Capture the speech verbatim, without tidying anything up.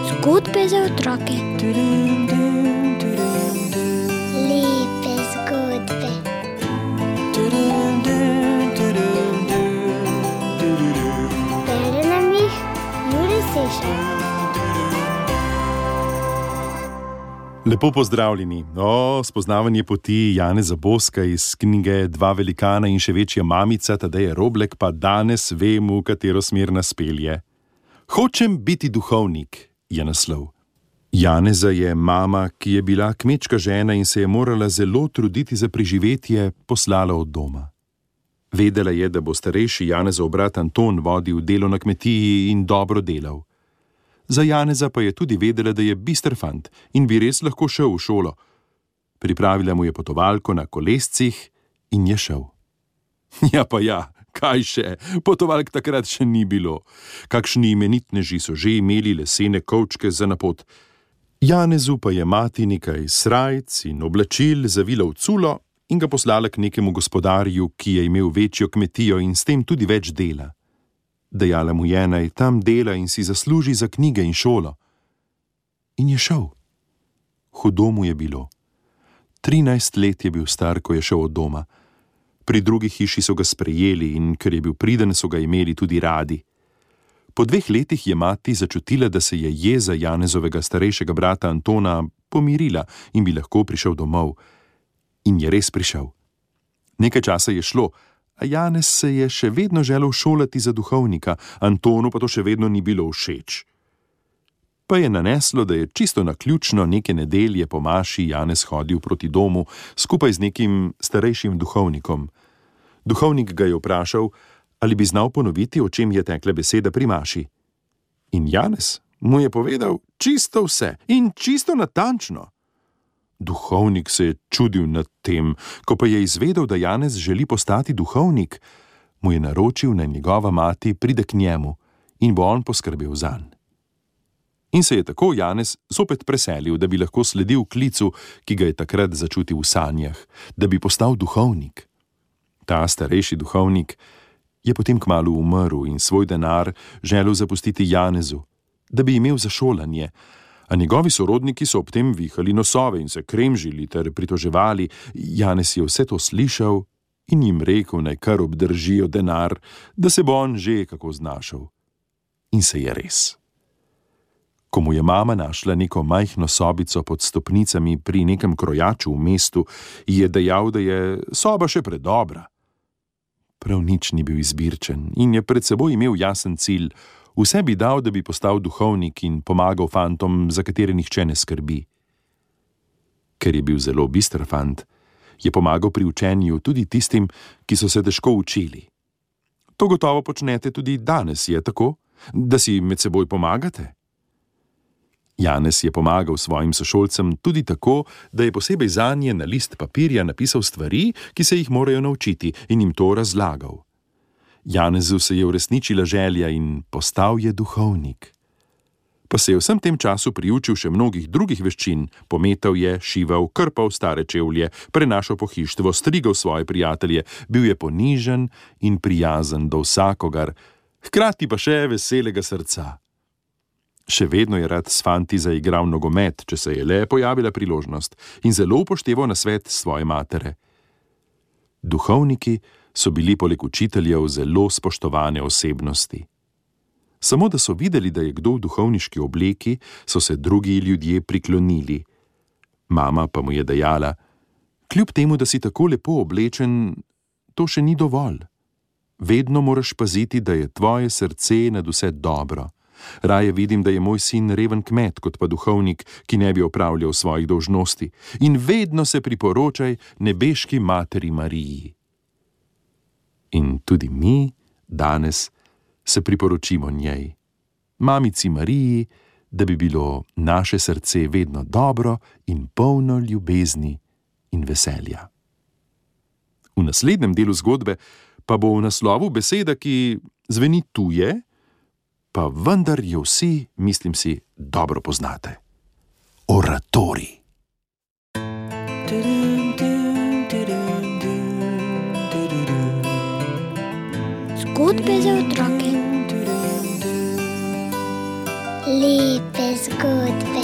Zgodbe za otroke. Lepe zgodbe. Bere nam jih Jure Sešar. Lepo pozdravljeni. O, spoznavanje poti Janeza Boska iz knjige Dva velikana in še večja mamica Tadeja Roblek pa danes vem, v katero smer nas pelje. Hočem biti duhovnik, je naslov. Janeza je mama, ki je bila kmečka žena in se je morala zelo truditi za preživetje, poslala od doma. Vedela je, da bo starejši Janezov brat Anton vodil delo na kmetiji in dobro delal. Za Janeza pa je tudi vedela, da je bister fant in bi res lahko šel v šolo. Pripravila mu je potovalko na kolescih in je šel. Ja pa ja, kaj še, potovalk takrat še ni bilo. Kakšni imenitneži so že imeli lesene kovčke za na pot. Janezu pa je mati nekaj srajc in oblačil zavila v culo in ga poslala k nekemu gospodarju, ki je imel večjo kmetijo in s tem tudi več dela. Dejala mu je, naj tam dela in si zasluži za knjige in šolo. In je šel. Hudo mu je bilo. Trinajst let je bil star, ko je šel od doma. Pri drugi hiši so ga sprejeli in ker je bil priden, so ga imeli tudi radi. Po dveh letih je mati začutila, da se je jeza Janezovega starejšega brata Antona pomirila in bi lahko prišel domov. In je res prišel. Nekaj časa je šlo, a Janez se je še vedno želel šolati za duhovnika, Antonu pa to še vedno ni bilo všeč. Pa je naneslo, da je čisto naključno neke nedelje po maši Janez hodil proti domu skupaj z nekim starejšim duhovnikom. Duhovnik ga je vprašal, ali bi znal ponoviti, o čem je tekla beseda pri maši. In Janez mu je povedal čisto vse in čisto natančno. Duhovnik se je čudil nad tem, ko pa je izvedel, da Janez želi postati duhovnik, mu je naročil, naj njegova mati pride k njemu in bo on poskrbel zanj. In se je tako Janez zopet preselil, da bi lahko sledil klicu, ki ga je takrat začutil v sanjah, da bi postal duhovnik. Ta starejši duhovnik je potem kmalu umrl in svoj denar želel zapustiti Janezu, da bi imel za šolanje, a njegovi sorodniki so ob tem vihali nosove in se kremžili ter pritoževali. Janez je vse to slišal in jim rekel, naj kar obdržijo denar, da se bo on že kako znašel. In se je res. Ko mu je mama našla neko majhno sobico pod stopnicami pri nekem krojaču v mestu, je dejal, da je soba še predobra. Prav nič ni bil izbirčen in je pred seboj imel jasen cilj. Vse bi dal, da bi postal duhovnik in pomagal fantom, za katere nihče ne skrbi. Ker je bil zelo bister fant, je pomagal pri učenju tudi tistim, ki so se težko učili. To gotovo počnete tudi danes, je tako? Da si med seboj pomagate? Janez je pomagal svojim sošolcem tudi tako, da je posebej zanje na list papirja napisal stvari, ki se jih morajo naučiti, in jim to razlagal. Janezu se je uresničila želja in postal je duhovnik. Pa se je vsem tem času priučil še mnogih drugih veščin, pometal je, šival, krpal stare čevlje, prenašal pohištvo, strigal svoje prijatelje, bil je ponižen in prijazen do vsakogar, hkrati pa še veselega srca. Še vedno je rad s fanti zaigral nogomet, če se je le pojavila priložnost, in zelo upošteval nasvet svoje matere. Duhovniki so bili poleg učiteljev zelo spoštovane osebnosti. Samo da so videli, da je kdo v duhovniški obleki, so se drugi ljudje priklonili. Mama pa mu je dejala, kljub temu, da si tako lepo oblečen, to še ni dovolj. Vedno moraš paziti, da je tvoje srce nad vse dobro. Raje vidim, da je moj sin reven kmet, kot pa duhovnik, ki ne bi opravljal svojih dolžnosti. In vedno se priporočaj nebeški materi Mariji. In tudi mi danes se priporočimo njej, mamici Mariji, da bi bilo naše srce vedno dobro in polno ljubezni in veselja. V naslednjem delu zgodbe pa bo v naslovu beseda, ki zveni tuje, pa vendar jo vsi, mislim si, dobro poznate. Oratorij. Zgodbe za otroke. Lepe zgodbe.